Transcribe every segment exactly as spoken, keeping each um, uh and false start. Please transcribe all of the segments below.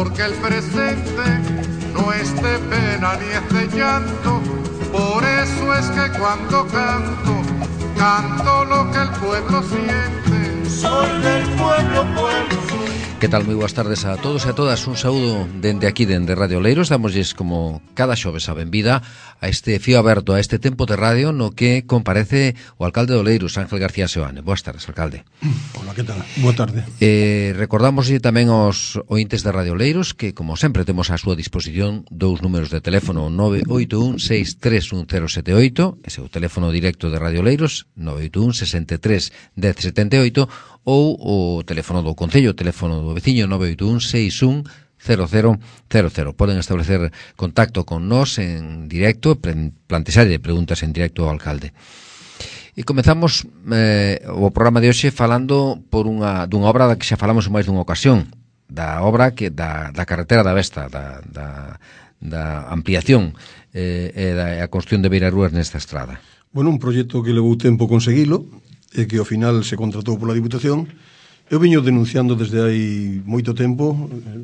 porque el presente no es de pena ni es de llanto. Por eso es que cuando canto, canto lo que el pueblo siente. Soy del pueblo, pueblo soy. Que tal? Moi boas tardes a todos e a todas. Un saúdo dende aquí, dende Radio Oleiros. Damosles como cada xoves a benvida a este fío aberto, a este tempo de radio no que comparece o alcalde de Oleiros, Ángel García Seoane. Boas tardes, alcalde. Hola, que tal? Boa tarde. Eh, recordamos tamén aos ointes de Radio Oleiros que, como sempre, temos a súa disposición dous números de teléfono: nove oito un seis tres un cero sete oito, ese é o teléfono directo de Radio Oleiros, nove oito un sesenta e tres dez setenta e oito, ou o teléfono do Concello, o teléfono do veciño, nove oito un seis un cero cero cero cero. Poden establecer contacto con nós en directo, plantexarlle preguntas en directo ao alcalde. E comezamos eh, o programa de hoxe falando por unha dunha obra da que xa falamos en máis dunha ocasión, da obra que da, da carretera da Vesta, da, da, da ampliación eh, e da a construción de beirarrúas nesta estrada. Bueno, un proxecto que levou tempo conseguilo e que ao final se contratou pola Diputación. Eu viño denunciando desde hai moito tempo,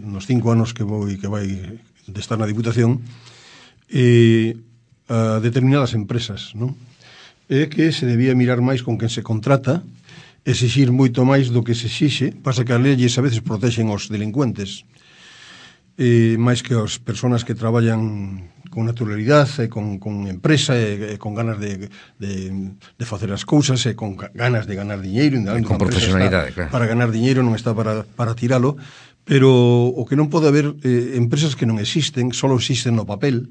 nos cinco anos que vou que vai de estar na Diputación, e a determinadas empresas, non? E que se debía mirar máis con quen se contrata, exixir moito máis do que se exixe, pasa que as leyes a veces protexen os delincuentes, e máis que as persoas que traballan con naturalidade, e con, con empresa, e, e con ganas de, de, de facer as cousas, e con ganas de ganar diñeiro, e con profesionalidade, claro. Para ganar diñeiro, non está para, para tiralo, pero o que non pode haber eh, empresas que non existen, só existen no papel,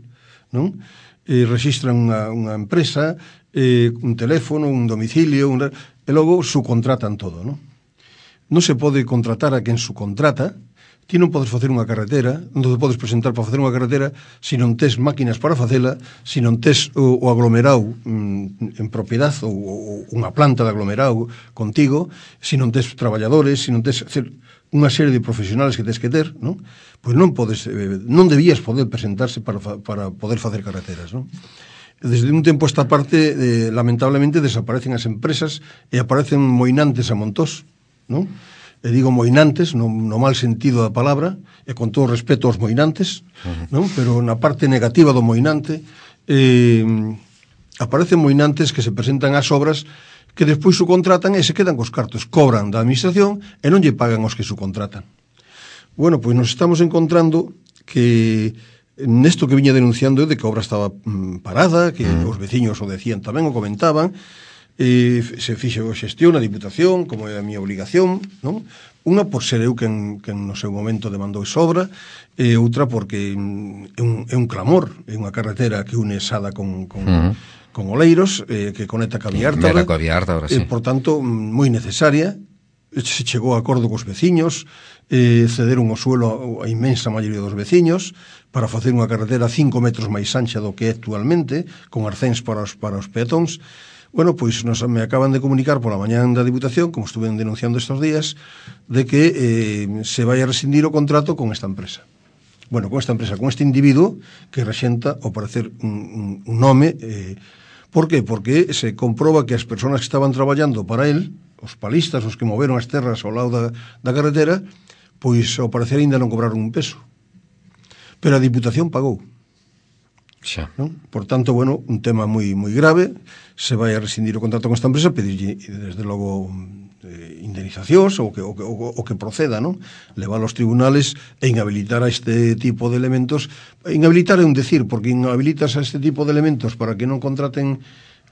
non? E registran unha, unha empresa, eh, un teléfono, un domicilio, un, e logo subcontratan todo, non? Non se pode contratar a quen subcontrata. Ti non podes facer unha carretera, non te podes presentar para facer unha carretera se non tes máquinas para facela, se non tes o, o aglomerado mm, en propiedade ou, ou unha planta de aglomerado contigo, se non tes traballadores, se non tes hacer unha serie de profesionales que tes que ter, non? Pois non podes, eh, non debías poder presentarse para, para poder facer carreteras, non? Desde un tempo esta parte, eh, lamentablemente, desaparecen as empresas e aparecen moinantes a montós, non? E digo moinantes, no, no mal sentido da palabra, e con todo respeto aos moinantes, uh-huh. non? Pero na parte negativa do moinante, eh, aparecen moinantes que se presentan ás obras que despois subcontratan e se quedan cos cartos, cobran da administración e non lle pagan aos que subcontratan. Bueno, pois nos estamos encontrando que nesto que viña denunciando de que a obra estaba mm, parada, que uh-huh. os veciños o decían tamén, o comentaban, e se fixe a xestión a Diputación, como é a miña obligación, non? Unha por ser eu quen, quen no seu momento demandou esa obra, e outra porque é un, é un clamor, é unha carretera que une Sada con, con, uh-huh. con Oleiros, eh, que conecta ca Viártabra, coa Viártabra, sí. E, por tanto, moi necesaria. Se chegou a acordo cos veciños, eh, cederon o suelo a inmensa maioría dos veciños para facer unha carretera cinco metros máis ancha do que é actualmente, con arcéns para os, para os peatóns. Bueno, pois nos, me acaban de comunicar pola mañán da Diputación, como estuve denunciando estes días, de que eh, se vai a rescindir o contrato con esta empresa. Bueno, con esta empresa, con este individuo que rexenta, ao parecer, un, un, un nome. Eh, por qué? Porque se comproba que as persoas que estaban traballando para él, os palistas, os que moveron as terras ao lado da, da carretera, pois ao parecer ainda non cobraron un peso. Pero a Diputación pagou. Xa. ¿No? Por tanto, bueno, un tema moi moi grave. Se vai a rescindir o contrato con esta empresa, pedirlle desde logo eh, indemnizacións ou que, o, o, o que proceda, non? Levar aos tribunales e inhabilitar a este tipo de elementos. Inhabilitar é un decir, porque inhabilitas a este tipo de elementos para que non contraten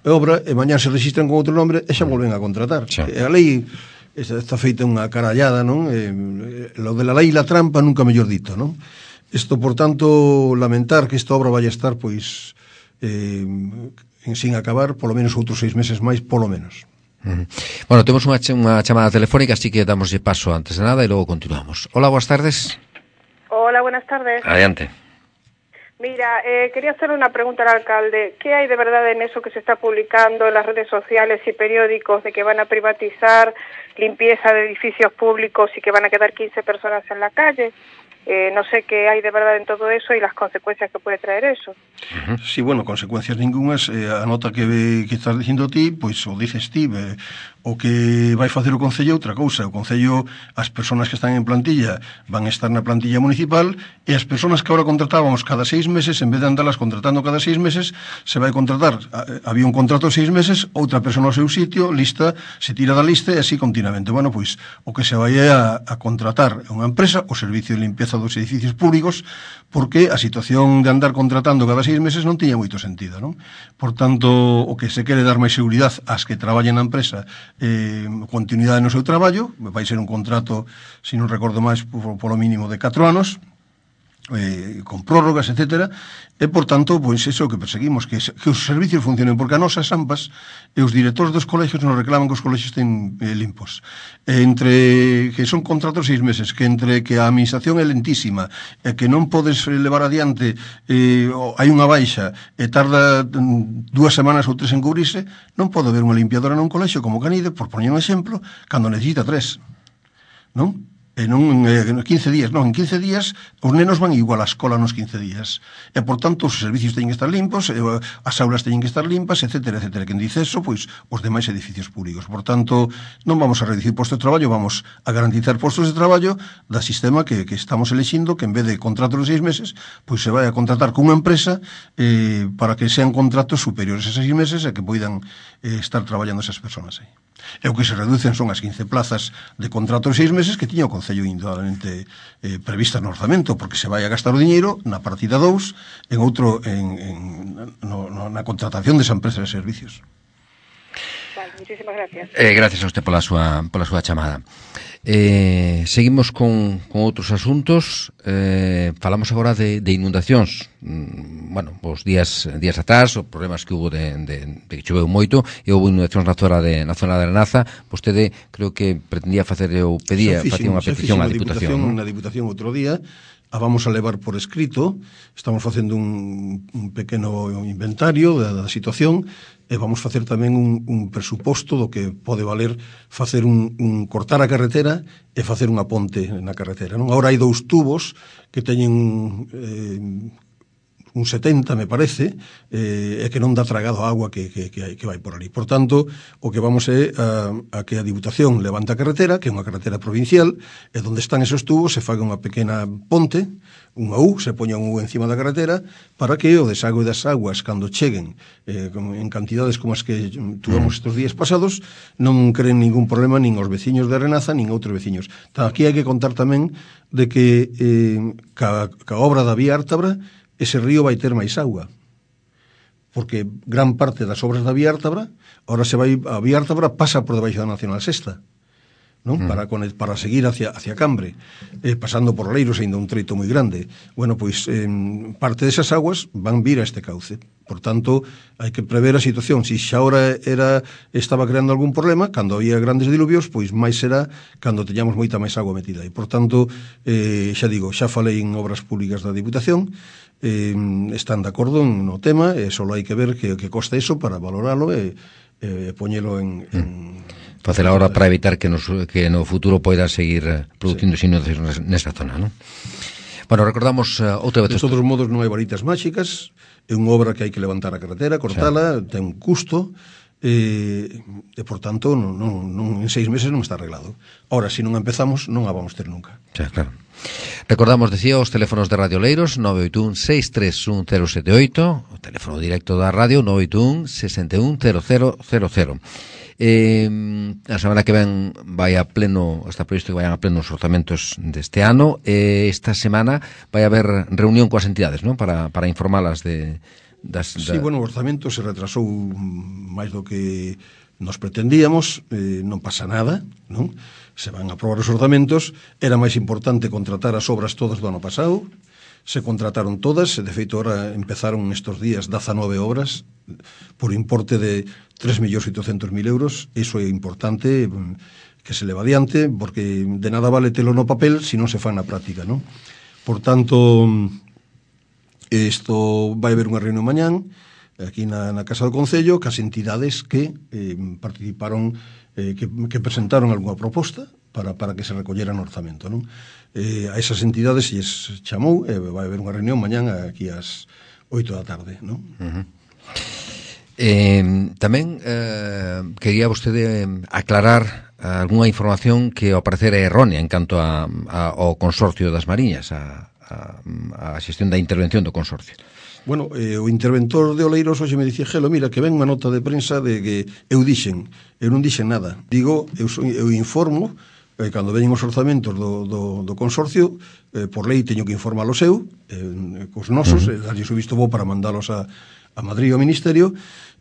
obra e mañá se registran con outro nombre e xa volven a contratar. Xa. E a lei está feita unha carallada, non? Eh, lo de la lei e la trampa nunca mellor dito, non? Isto, por tanto, lamentar que esta obra vai a estar, pois, eh, sin acabar, polo menos outros seis meses máis, polo menos. Uh-huh. Bueno, temos unha, ch- unha chamada telefónica, así que damoslle paso antes de nada e logo continuamos. Hola, boas tardes. Hola, buenas tardes. Adiante. Mira, eh, quería hacer una pregunta al alcalde. ¿Qué hay de verdad en eso que se está publicando en las redes sociales y periódicos de que van a privatizar limpieza de edificios públicos y que van a quedar quince personas en la calle. Eh, no sé qué hay de verdad en todo eso y las consecuencias que puede traer eso. Uh-huh. Sí, bueno, consecuencias ningunhas. Eh, a nota que, que estás dicindo ti, pois o dices ti, eh, o que vai facer o Concello outra cousa. O Concello, as persoas que están en plantilla van estar na plantilla municipal, e as persoas que agora contratábamos cada seis meses, en vez de andarlas contratando cada seis meses, se vai contratar. Había un contrato de seis meses, outra persoa no seu sitio, lista, se tira da lista e así continuamente. Bueno, pois o que se vai a, a contratar unha empresa, o servicio de limpieza dos edificios públicos, porque a situación de andar contratando cada seis meses non tiña moito sentido, non? Por tanto, o que se quere dar máis seguridade ás que traballan na empresa, eh, continuidade no seu traballo, vai ser un contrato, se non recordo máis, por, por lo mínimo de catro anos, eh, con prórrogas, etcétera, e, por tanto, pois, iso que perseguimos, que, que os servicios funcionen, porque a nosas AMPAs e os directores dos colegios nos reclaman que os colegios estén eh, limpos. E entre que son contratos seis meses, que entre que a administración é lentísima, e que non podes levar adiante, eh, hai unha baixa, e tarda dúas semanas ou tres en cubrirse, non pode haber unha limpiadora nun colexio como Canide, por poñer un exemplo, cando necesita tres, non? E non en quince días, non, en quince días os nenos van igual á escola nos quince días. E, por tanto, os servicios teñen que estar limpos, e, as aulas teñen que estar limpas, etcétera, etcétera. Quen dice eso, pois, os demais edificios públicos. Por tanto, non vamos a reducir postos de traballo, vamos a garantizar postos de traballo da sistema que, que estamos elexindo, que en vez de contratos de seis meses, pois se vai a contratar con unha empresa eh, para que sean contratos superiores a seis meses e que poidan eh, estar traballando esas persoas aí. E o que se reducen son as quince plazas de contrato de seis meses que tiña o Concello indudablemente eh, prevista no orzamento, porque se vai a gastar o diñeiro na partida dous en outro en, en, no, no, na contratación desa empresa de servicios. Vale, muchísimas gracias. Eh, gracias a usted pola súa, pola súa chamada. Eh, seguimos con, con outros asuntos. eh, falamos agora de, de inundacións. mm, bueno, os días días atrás, os problemas que hubo de, de, de que choveu moito e houve inundacións na zona de, na zona de Arenaza. Vostede creo que pretendía facer, ou pedía, facía unha petición á Diputación, ¿no? Na Diputación outro día, a vamos a levar por escrito. Estamos facendo un, un pequeno inventario da, da situación, e vamos facer tamén un, un presuposto do que pode valer facer un, un cortar a carretera e facer unha ponte na carretera, non? Agora hai dous tubos que teñen eh, un setenta, me parece, eh, e que non dá tragado a agua que, que, que, que vai por ali. Por tanto, o que vamos é a, a que a Diputación levante a carretera, que é unha carretera provincial, e onde están esos tubos se faga unha pequena ponte, unha U, se poña un U encima da carretera, para que o desague das aguas, cando cheguen eh, en cantidades como as que tuvemos estes días pasados, non creen ningún problema nin os veciños de Arenaza, nin outros veciños. Aquí hai que contar tamén de que eh, ca, ca obra da Vía Ártabra, ese río vai ter máis agua, porque gran parte das obras da Vía Ártabra, ahora se vai, a Vía Ártabra pasa por debaixo da Nacional Sexta, non? Mm. Para, para seguir hacia, hacia Cambre, eh, pasando por Leiros, ainda un treito moi grande. Bueno, pois eh, parte desas aguas van vir a este cauce. Por tanto, hai que prever a situación. Si xa ahora era, estaba creando algún problema, cando había grandes diluvios, pois máis será cando teñamos moita máis agua metida. E, por tanto, eh, xa digo, xa falei en obras públicas da Diputación, eh, están de acordo no tema, e só hai que ver que, que costa eso para valoralo e, e poñelo en... en facer agora para evitar que, nos, que no futuro poida seguir producindo sí. inundacións nesta zona, non? Bueno, recordamos uh, outra vez... De todos modos, non hai varitas máxicas, é unha obra que hai que levantar a carretera, cortala, sí. ten un custo, e, e por tanto, non, non, non, en seis meses non está arreglado. Ahora, se non empezamos, non a vamos ter nunca. Sí, claro. Recordamos, decía, os teléfonos de Radio Leiros, nove oito un, seis tres un, cero sete oito, o teléfono directo da radio, nove oito un, seis un, cero cero cero cero. Eh, a semana que ven vai a pleno, está previsto que vayan a pleno os orzamentos deste ano, e esta semana vai haber reunión coas entidades, non? Para, para informalas de... Das, da... Sí, bueno, o orzamento se retrasou máis do que nos pretendíamos, eh, non pasa nada, non? Se van a aprobar os orzamentos, era máis importante contratar as obras todas do ano pasado, se contrataron todas, de feito, ahora empezaron estes días dezanove obras por importe de tres millóns oitocentos mil euros. Iso é importante que se leva adiante, porque de nada vale telo no papel se non se fan na práctica, non? Por tanto, isto vai haber unha reunión mañán aquí na, na Casa do Concello, que as entidades que eh, participaron, eh, que, que presentaron algunha proposta para, para que se recollera no orzamento, non? Eh, a esas entidades se lles chamou, e eh, vai haber unha reunión mañán aquí ás oito da tarde, non? Uh-huh. Eh, tamén eh, quería vostede aclarar algunha información que ao parecer é errónea en canto a, a, ao consorcio das Mariñas, a, a, a xestión da intervención do consorcio. Bueno, eh, o interventor de Oleiros hoxe me dicía, Gelo, mira, que ven unha nota de prensa de que eu dixen, eu non dixen nada. Digo, eu, eu informo, eh, cando veñen os orzamentos do, do, do consorcio, eh, por lei teño que informar o seu, eh, cos nosos, uh -huh. eh, darlles o visto bo para mandalos a, a Madrid ao Ministerio,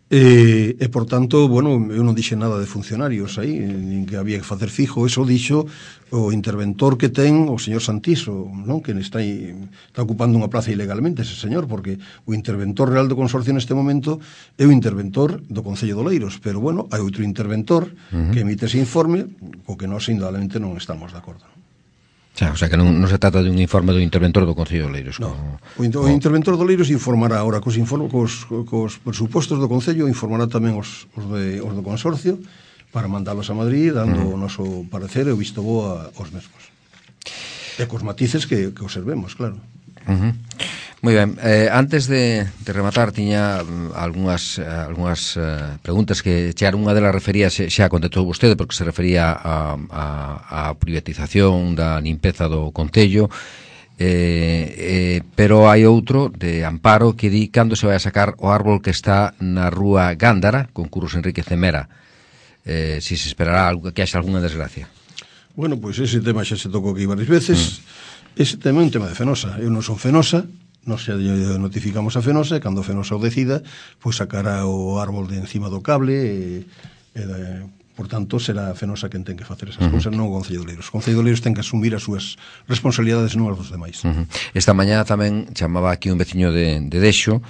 E, e, por tanto, bueno, eu non dixen nada de funcionarios aí, nin que había que facer fijo, eso dixo o interventor que ten o señor Santiso, non? Que está, está ocupando unha plaza ilegalmente ese señor, porque o interventor real do consorcio neste momento é o interventor do Concello de Oleiros, pero, bueno, hai outro interventor uh -huh. que emite ese informe, co que nós, indudablemente, non estamos de acordo. Xa, o sea, que non, non se trata de un informe do interventor do Concello de Oleiros. No, como, o, o interventor de Oleiros informará ahora cos, informe, cos, cos presupostos do Concello, informará tamén os, os, de, os do consorcio para mandalos a Madrid, dando uh -huh. o noso parecer e o visto bo aos mesmos. E cos matices que, que observemos, claro. Uh -huh. Moi ben, eh, antes de, de rematar tiña algunhas, algunhas uh, preguntas que chegaron, unha delas refería, xa, xa contestou vostede, porque se refería a, a, a privatización da limpeza do Concello, eh, eh, pero hai outro de Amparo que di cando se vai a sacar o árbol que está na rúa Gándara con Curros Enrique Cemera, eh, si se esperará algo, que haxa algunha desgracia. Bueno, pois pues ese tema xa se tocou aquí varias veces. mm. Ese tema é un tema de Fenosa. Eu non son Fenosa, nos xa notificamos a Fenosa, e cando Fenosa o decida, pois sacará o árbol de encima do cable, e, e de, por tanto, será a Fenosa quen ten que facer esas uh -huh. cousas, non o Concello de Oleiros. O Concello de Oleiros ten que asumir as súas responsabilidades, non as dos demais. Uh -huh. Esta mañá tamén chamaba aquí un veciño de, de Dexo,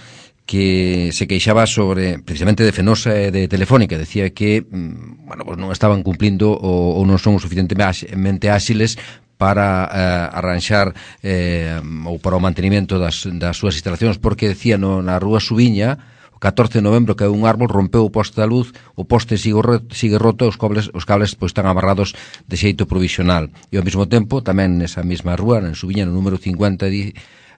que se queixaba sobre, precisamente de Fenosa e de Telefónica, decía que, bueno, pues non estaban cumplindo ou, ou non son o suficientemente áxiles para eh, arranxar eh, ou para o mantenimento das, das súas instalacións, porque decía no, na rúa Subiña, o catorce de novembro, que un árbol rompeu o poste da luz, o poste sigue, sigue roto, os cables, os cables pois, están amarrados de xeito provisional. E ao mesmo tempo, tamén nesa mesma rúa, en Subiña, no número cincuenta, di,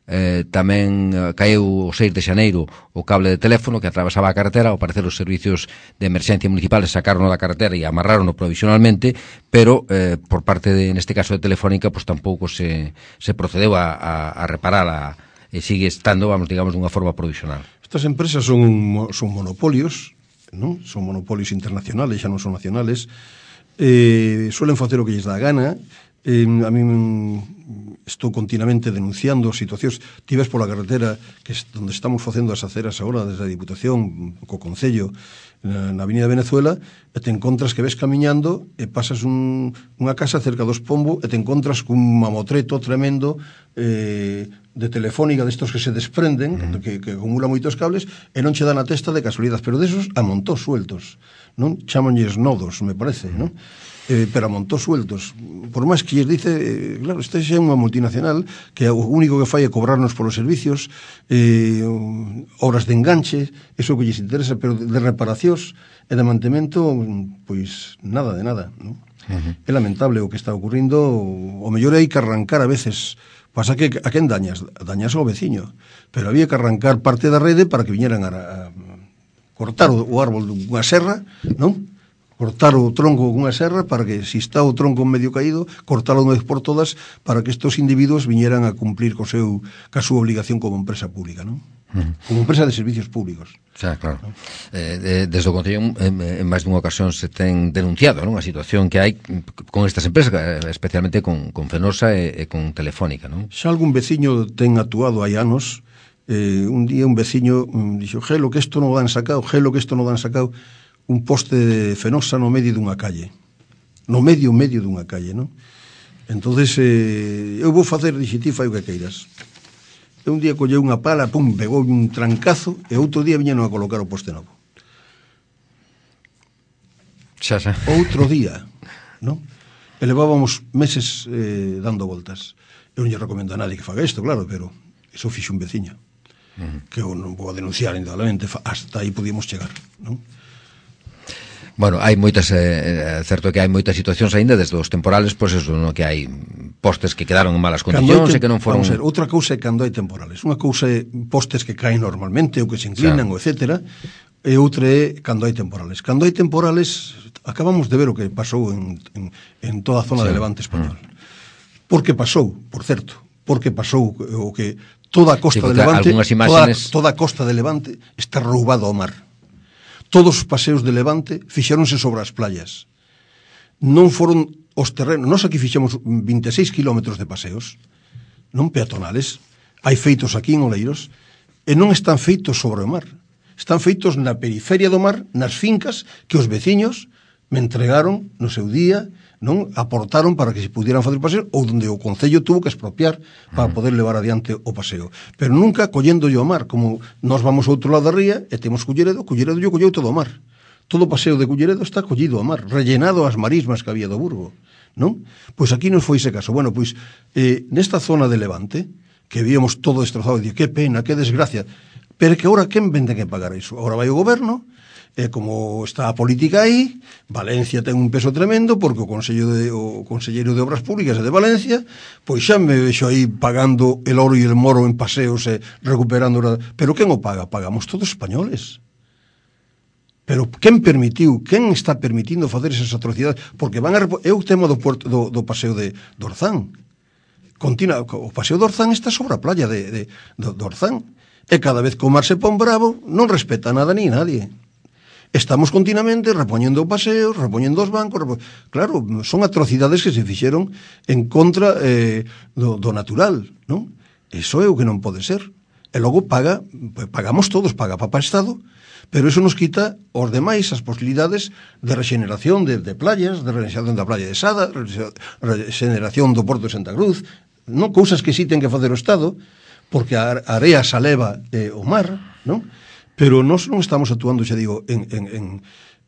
eh, tamén eh, caeu o seis de xaneiro o cable de teléfono que atravesaba a carretera. Ao parecer os servicios de emerxencia municipales sacaron da carretera e amarraron provisionalmente, pero eh, por parte de, neste caso de Telefónica, pues tampouco se, se procedeu a, a, a reparala, e sigue estando, vamos, digamos, dunha forma provisional. Estas empresas son, son monopolios, non? Son monopolios internacionales, xa non son nacionales, eh, suelen facer o que lles dá a gana. Eh, a mí estou continuamente denunciando situacións. Ti ves pola carretera que es donde estamos facendo as aceras agora desde a Diputación co Concello na, na Avenida Venezuela, e te encontras que ves camiñando e pasas un, unha casa cerca dos Pombo e te encontras cun mamotreto tremendo eh, de Telefónica, destos que se desprenden, uh -huh. que, que acumula moitos cables e non che dan a testa de casualidade, pero desos a montón sueltos, non? Chámanlles nodos, me parece, non? Eh, pero a montón sueltos. Por máis que lles dice, eh, claro, esta é unha multinacional que o único que fai é cobrarnos polos servicios, eh, horas de enganche, eso que lles interesa, pero de reparacións e de mantemento, pois nada de nada, non? Uh -huh. É lamentable o que está ocurrindo. O mellor hai que arrancar a veces. Pasa que a quen dañas? Dañas ao veciño, pero había que arrancar parte da rede para que viñeran a, a cortar o, o árbol dunha serra, non? Cortar o tronco con unha serra para que, se está o tronco medio caído, cortalo unha vez por todas para que estos individuos viñeran a cumplir co seu, ca súa obligación como empresa pública, non? Uh-huh. Como empresa de servicios públicos. Xa, claro. ¿No? Eh, desde o Concello, en, en máis dunha ocasión se ten denunciado, non? A situación que hai con estas empresas, especialmente con, con Fenosa e, e con Telefónica, non? Xa algún veciño ten actuado hai anos. Eh, un día un veciño um, dixo, gelo que isto non o dan sacado, gelo que isto non o dan sacado, un poste de Fenosa no medio dunha calle, no medio, medio dunha calle, non? Entonces, eh, eu vou facer, dixe, ti fai o que queiras. E un día colleu unha pala, pum, pegou un trancazo, e outro día viñeron a colocar o poste novo. Xa, xa. Outro día, non? E levábamos meses eh, dando voltas. Eu non lle recomendo a nadie que faga isto, claro, pero eso fixo un veciño. uh-huh. que eu non vou a denunciar, indudablemente, hasta aí podíamos chegar, non? Bueno, hai moitas, é eh, certo que hai moitas situacións aínda desde os temporales, pois eso, no que hai postes que quedaron en malas condicións e que non foron... Vamos a ver, outra cousa é cando hai temporales. Unha cousa é postes que caen normalmente ou que se inclinan, o etcétera, e outra é cando hai temporales. Cando hai temporales, acabamos de ver o que pasou en, en, en toda a zona sí. de Levante español. Mm. Porque pasou, por certo, porque pasou o que toda a costa sí, de Levante, imágenes... toda, toda a costa de Levante está roubado ao mar. Todos os paseos de Levante fixéronse sobre as playas. Non foron os terrenos. Nós aquí fixemos vinte e seis kilómetros de paseos, non peatonales. Hai feitos aquí en Oleiros, e non están feitos sobre o mar. Están feitos na periferia do mar, nas fincas que os veciños me entregaron no seu día, non aportaron para que se pudieran facer paseo, ou onde o Concello tuvo que expropiar para poder levar adiante o paseo, pero nunca collendo yo o mar, como nós vamos ao outro lado da ría e temos Culleredo, Culleredo yo colleu todo o mar, todo o paseo de Culleredo está collido ao mar, rellenado as marismas que había do Burgo, non? Pois aquí non foi ese caso. Bueno, pois eh, nesta zona de Levante que víamos todo destrozado, e que pena, que desgracia, pero que agora quen vende que pagar iso? Agora vai o goberno, e como está a política aí, Valencia ten un peso tremendo, porque o Consello de, o Conselleiro de Obras Públicas é de Valencia, pois xa me vexo aí pagando el oro e el moro en paseos e recuperando... Pero quen o paga? Pagamos todos españoles. Pero quen permitiu, quen está permitindo facer esas atrocidades? Porque van a... É o tema do, puerto, do, do paseo de, de Orzán. Continua, o paseo de Orzán está sobre a playa de, de, de, de Orzán. E cada vez que o mar se pon bravo, non respeta nada ni nadie. Estamos continuamente repoñendo paseos, repoñendo os bancos, repo... claro, son atrocidades que se fixeron en contra eh, do, do natural, non? Eso é o que non pode ser. E logo paga, pagamos todos, paga Papa Estado, pero eso nos quita os demais as posibilidades de rexeneración de, de playas, de rexeneración da playa de Sada, rexeneración do Porto de Santa Cruz, non cousas que sí ten que facer o Estado, porque a area se eleva eh, o mar, non? Pero nós non estamos actuando, xa digo, en, en, en,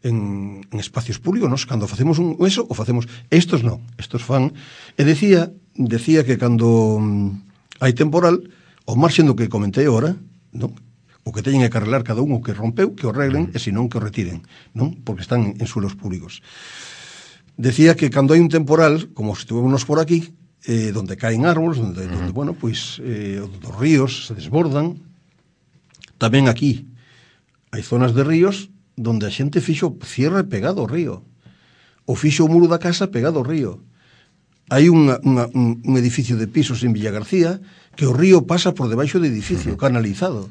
en, en espacios públicos, nós cando facemos un, eso, o facemos, estos non, estos fan, e decía, decía que cando mm, hai temporal, o marxen do que comentei agora, non? O que teñen que arreglar cada un, o que rompeu, que o arreglen, e senón que o retiren, non? Porque están en suelos públicos. Decía que cando hai un temporal, como estuvemos por aquí, eh, donde caen árboles, donde, uh-huh. donde bueno, pois, eh, os ríos se desbordan, tamén aquí, hai zonas de ríos donde a xente fixo cierre pegado ao río, ou fixo o muro da casa pegado ao río. Hai unha, unha, un, un edificio de pisos en Villagarcía que o río pasa por debaixo do edificio, canalizado,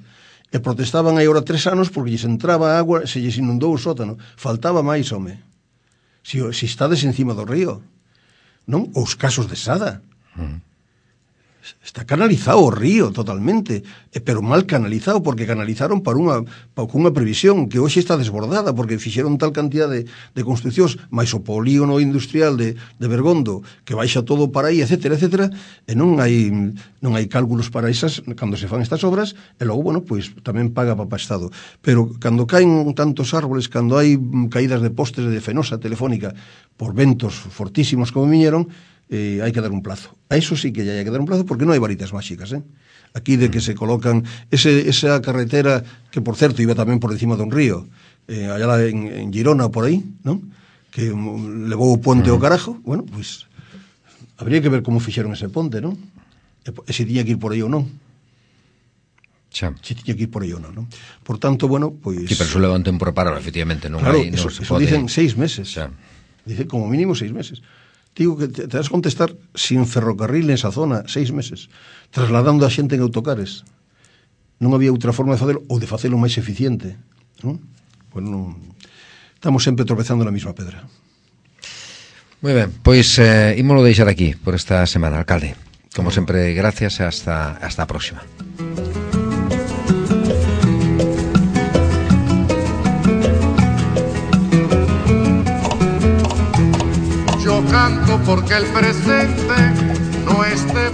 e protestaban aí ora tres anos porque lles entraba agua, se lles inundou o sótano. Faltaba máis, home. Si, si estades encima do río, non? Os casos de Sada. Uh-huh. Está canalizado o río totalmente, pero mal canalizado, porque canalizaron para unha, para unha previsión que hoxe está desbordada, porque fixeron tal cantidad de, de construccións, máis o polígono industrial de, de Bergondo, que baixa todo para aí, etcétera, etcétera, e non hai, non hai cálculos para esas, cando se fan estas obras, e logo, bueno, pois tamén paga Papa Estado. Pero cando caen tantos árboles, cando hai caídas de postes de fenosa telefónica por ventos fortísimos como viñeron, Eh, hai que dar un plazo. A eso sí que ya hai que dar un plazo, porque non hai varitas máxicas, eh? Aquí de que se colocan ese, esa carretera que, por certo, iba tamén por encima dun río, eh, allá en, en Girona, por aí, non? Que levou o ponte ao carajo. Bueno, pois pues, habría que ver como fixeron ese ponte, non? E, e se tiña que ir por aí ou non. Xa. Se tiña que ir por aí ou non, non? Por tanto, bueno, pois... Sí, pero eso leva un tempo para parar, efectivamente, non claro, hai... Eso, non eso pode... dicen seis meses. Xa. Dice como mínimo seis meses. Digo que te, te vas a contestar sin ferrocarril en esa zona, seis meses, trasladando a xente en autocares. Non había outra forma de facelo, ou de facelo máis eficiente, non? Bueno, non... estamos sempre tropezando na mesma pedra. Moi ben, pois eh, ímolo deixar aquí por esta semana, alcalde. Como sempre, gracias e hasta, hasta a próxima. Canto porque el presente no esté